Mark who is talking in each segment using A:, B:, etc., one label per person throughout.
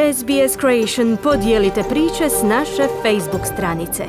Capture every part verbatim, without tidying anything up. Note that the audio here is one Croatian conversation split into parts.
A: S B S Creation podijelite priče s naše Facebook stranice.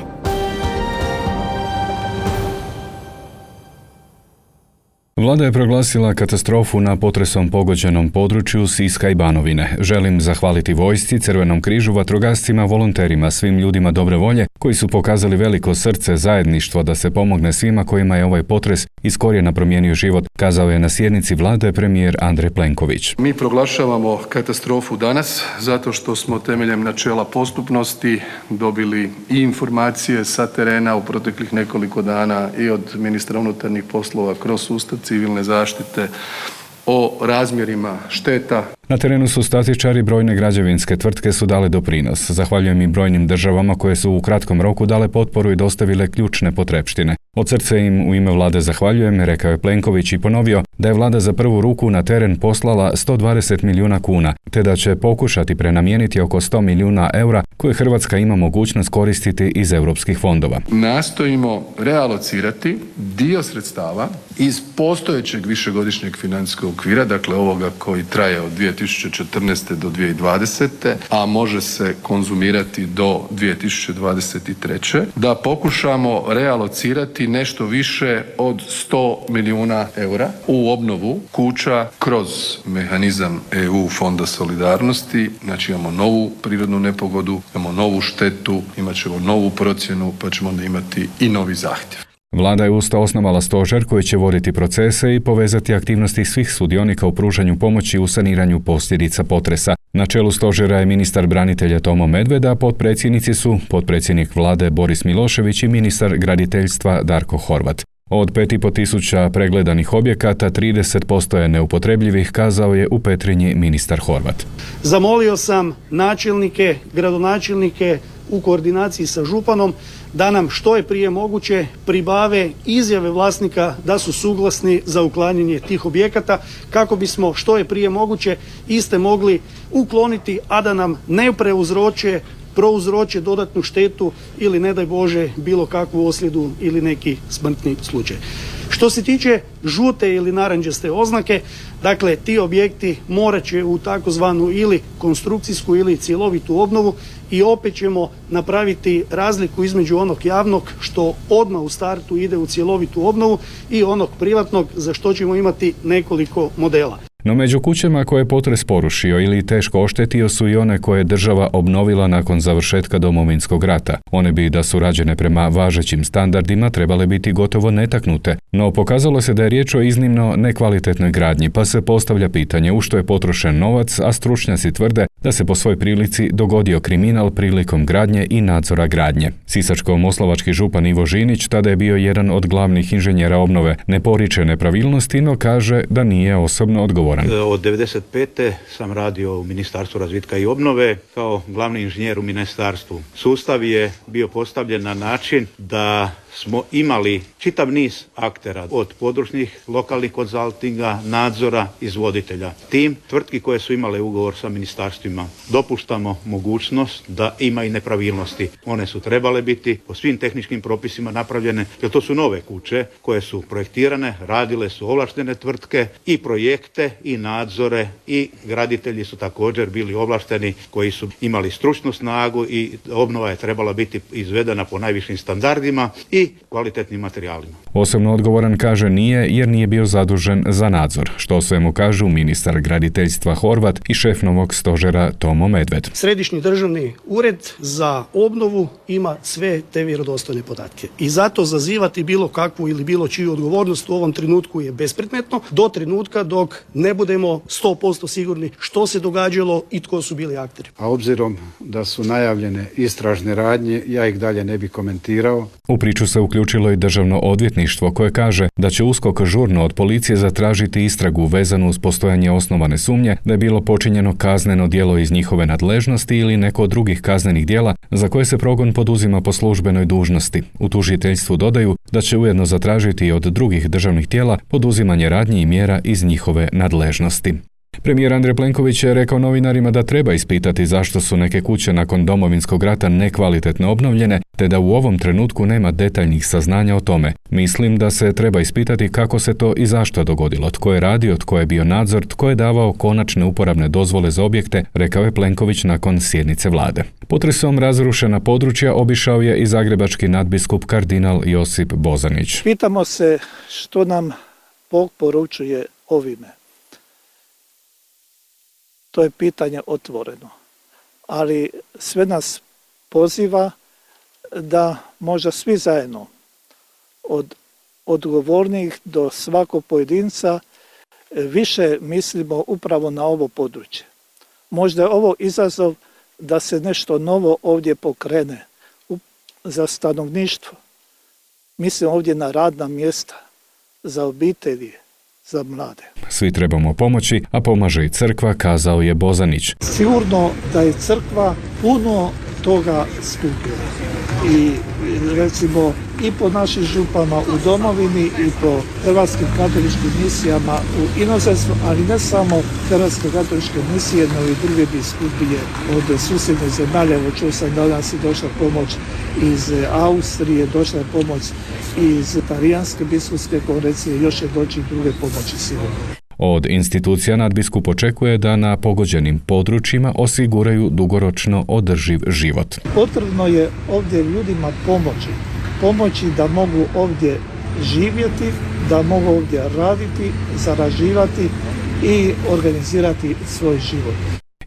B: Vlada je proglasila katastrofu na potresom pogođenom području Siska i Banovine. Želim zahvaliti vojsci, Crvenom križu, vatrogascima, volonterima, svim ljudima dobre volje koji su pokazali veliko srce, zajedništvo da se pomogne svima kojima je ovaj potres iz korijena promijenio život, kazao je na sjednici vlade premijer Andrej Plenković.
C: Mi proglašavamo katastrofu danas zato što smo temeljem načela postupnosti dobili i informacije sa terena u proteklih nekoliko dana i od ministra unutarnjih poslova kroz sustav civilne zaštite o razmjerima šteta.
B: Na terenu su statičari, brojne građevinske tvrtke su dale doprinos. Zahvaljujem i brojnim državama koje su u kratkom roku dale potporu i dostavile ključne potrepštine. Od srca im u ime vlade zahvaljujem, rekao je Plenković i ponovio da je vlada za prvu ruku na teren poslala sto dvadeset milijuna kuna, te da će pokušati prenamijeniti oko sto milijuna eura koje Hrvatska ima mogućnost koristiti iz europskih fondova.
C: Nastojimo realocirati dio sredstava iz postojećeg višegodišnjeg financijskog okvira, dakle ovoga koji traje od dvije tisuće četrnaeste do dvije tisuće dvadesete, a može se konzumirati do dvije tisuće dvadeset treće, da pokušamo realocirati nešto više od sto milijuna eura u obnovu kuća kroz mehanizam E U Fonda solidarnosti. Znači imamo novu prirodnu nepogodu, imamo novu štetu, imat ćemo novu procjenu, pa ćemo onda imati i novi zahtjev.
B: Vlada je usto osnovala stožer koji će voditi procese i povezati aktivnosti svih sudionika u pružanju pomoći u saniranju posljedica potresa. Na čelu stožera je ministar branitelja Tomo Medved, a potpredsjednici su potpredsjednik vlade Boris Milošević i ministar graditeljstva Darko Horvat. Od pet i pol tisuća pregledanih objekata trideset posto je neupotrebljivih, kazao je u Petrinji ministar Horvat.
D: Zamolio sam načelnike, gradonačelnike u koordinaciji sa županom da nam što je prije moguće pribave izjave vlasnika da su suglasni za uklanjanje tih objekata kako bismo što je prije moguće iste mogli ukloniti, a da nam ne preuzroče prouzroče dodatnu štetu ili ne daj Bože bilo kakvu ozljedu ili neki smrtni slučaj. Što se tiče žute ili narančaste oznake, dakle ti objekti morat će u takozvanu ili konstrukcijsku ili cjelovitu obnovu i opet ćemo napraviti razliku između onog javnog što odmah u startu ide u cjelovitu obnovu i onog privatnog za što ćemo imati nekoliko modela.
B: No među kućama koje je potres porušio ili teško oštetio su i one koje je država obnovila nakon završetka Domovinskog rata. One bi, da su rađene prema važećim standardima, trebale biti gotovo netaknute. No pokazalo se da je riječ o iznimno nekvalitetnoj gradnji, pa se postavlja pitanje u što je potrošen novac, a stručnjaci tvrde da se po svoj prilici dogodio kriminal prilikom gradnje i nadzora gradnje. Sisačko-moslavački župan Ivo Žinić tada je bio jedan od glavnih inženjera obnove. Ne poriče nepravilnosti, no kaže da nije osobno odgovoran.
E: Od devedeset pete sam radio u Ministarstvu razvitka i obnove kao glavni inženjer u ministarstvu. Sustav je bio postavljen na način da smo imali čitav niz aktera od područnih lokalnih konzaltinga, nadzora, izvoditelja. Tim tvrtki koje su imale ugovor sa ministarstvima dopuštamo mogućnost da ima i nepravilnosti. One su trebale biti po svim tehničkim propisima napravljene, jer to su nove kuće koje su projektirane, radile su ovlaštene tvrtke i projekte i nadzore i graditelji su također bili ovlašteni koji su imali stručnu snagu i obnova je trebala biti izvedena po najvišim standardima i kvalitetnim materijalima.
B: Osobno odgovoran kaže nije jer nije bio zadužen za nadzor, što sve mu kažu ministar graditeljstva Horvat i šef novog stožera Tomo Medved.
D: Središnji državni ured za obnovu ima sve te vjerodostojne podatke i zato zazivati bilo kakvu ili bilo čiju odgovornost u ovom trenutku je bespredmetno do trenutka dok ne budemo sto posto sigurni što se događalo i tko su bili akteri.
F: A obzirom da su najavljene istražne radnje, ja ih dalje ne bi komentirao.
B: U priču se uključilo i državno odvjetništvo koje kaže da će U S K O K žurno od policije zatražiti istragu vezanu uz postojanje osnovane sumnje da je bilo počinjeno kazneno djelo iz njihove nadležnosti ili neko od drugih kaznenih djela za koje se progon poduzima po službenoj dužnosti. U tužiteljstvu dodaju da će ujedno zatražiti od drugih državnih tijela poduzimanje radnji i mjera iz njihove nadležnosti. Premijer Andrej Plenković je rekao novinarima da treba ispitati zašto su neke kuće nakon Domovinskog rata nekvalitetno obnovljene, te da u ovom trenutku nema detaljnih saznanja o tome. Mislim da se treba ispitati kako se to i zašto dogodilo, tko je radio, tko je bio nadzor, tko je davao konačne uporabne dozvole za objekte, rekao je Plenković nakon sjednice vlade. Potresom razrušena područja obišao je i zagrebački nadbiskup kardinal Josip Bozanić.
G: Pitamo se što nam Bog poručuje ovime. To je pitanje otvoreno, ali sve nas poziva da možda svi zajedno, od odgovornih do svakog pojedinca, više mislimo upravo na ovo područje. Možda je ovo izazov da se nešto novo ovdje pokrene za stanovništvo. Mislim ovdje na radna mjesta, za obitelji, za mlade.
B: Svi trebamo pomoći, a pomaže i crkva, kazao je Bozanić.
G: Sigurno da je crkva puno toga skupila. I recimo i po našim župama u domovini i po hrvatskim katoličkim misijama u inozemstvu, ali ne samo hrvatske katoličke misije, no i druge biskupije od susjedne zemalja. Evo čuo sam danas je došla pomoć iz Austrije, došla je pomoć iz Talijanske biskupske konferencije, još će doći i druge pomoći sigurno.
B: Od institucija nadbiskup očekuje da na pogođenim područjima osiguraju dugoročno održiv život.
G: Potrebno je ovdje ljudima pomoći, pomoći da mogu ovdje živjeti, da mogu ovdje raditi, zarađivati i organizirati svoj život.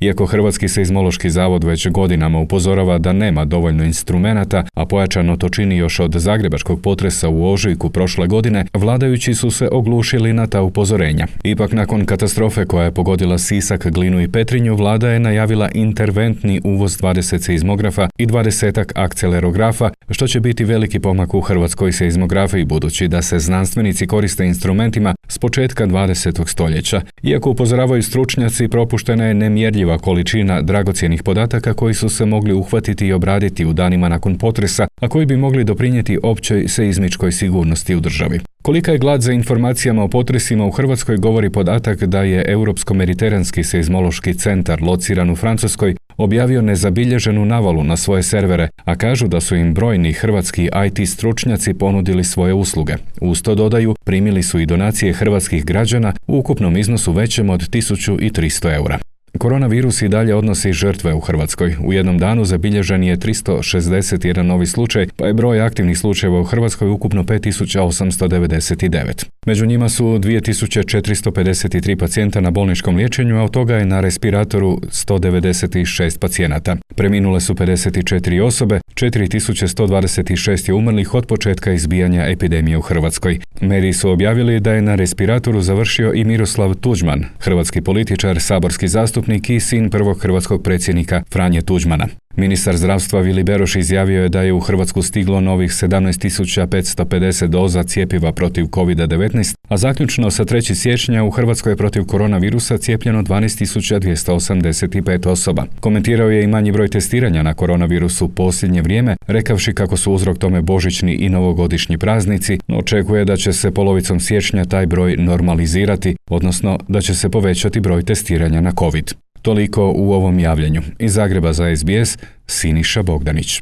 B: Iako Hrvatski seizmološki zavod već godinama upozorava da nema dovoljno instrumenata, a pojačano to čini još od zagrebačkog potresa u ožujku prošle godine, vladajući su se oglušili na ta upozorenja. Ipak nakon katastrofe koja je pogodila Sisak, Glinu i Petrinju, vlada je najavila interventni uvoz dvadeset seizmografa i dvadesetak akcelerografa, što će biti veliki pomak u hrvatskoj seizmografiji budući da se znanstvenici koriste instrumentima s početka dvadesetog stoljeća. Iako upozoravaju stručnjaci, propuštena je nemjerljiva količina dragocjenih podataka koji su se mogli uhvatiti i obraditi u danima nakon potresa, a koji bi mogli doprinijeti općoj seizmičkoj sigurnosti u državi. Kolika je glad za informacijama o potresima u Hrvatskoj govori podatak da je Europsko-mediteranski seizmološki centar lociran u Francuskoj objavio nezabilježenu navalu na svoje servere, a kažu da su im brojni hrvatski I T stručnjaci ponudili svoje usluge. Uz to dodaju, primili su i donacije hrvatskih građana u ukupnom iznosu većem od tisuću tristo eura. Koronavirus i dalje odnosi žrtve u Hrvatskoj. U jednom danu zabilježen je tristo šezdeset jedan novi slučaj, pa je broj aktivnih slučajeva u Hrvatskoj ukupno pet tisuća osamsto devedeset devet. Među njima su dvije tisuće četiristo pedeset tri pacijenta na bolničkom liječenju, a od toga je na respiratoru sto devedeset šest pacijenata. Preminule su pedeset četiri osobe, četiri tisuće sto dvadeset šest je umrlih od početka izbijanja epidemije u Hrvatskoj. Mediji su objavili da je na respiratoru završio i Miroslav Tuđman, hrvatski političar, saborski zastupnik i sin prvog hrvatskog predsjednika Franje Tuđmana. Ministar zdravstva Vili Beroš izjavio je da je u Hrvatsku stiglo novih sedamnaest tisuća petsto pedeset doza cjepiva protiv kovid devetnaest, a zaključno sa trećeg siječnja u Hrvatskoj je protiv koronavirusa cijepljeno dvanaest tisuća dvjesto osamdeset pet osoba. Komentirao je i manji broj testiranja na koronavirus u posljednje vrijeme, rekavši kako su uzrok tome božićni i novogodišnji praznici, no očekuje da će se polovicom siječnja taj broj normalizirati, odnosno da će se povećati broj testiranja na COVID. Toliko u ovom javljanju. Iz Zagreba za S B S, Siniša Bogdanić.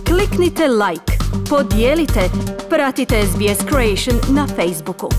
A: Kliknite like, podijelite, pratite S B S Creation na Facebooku.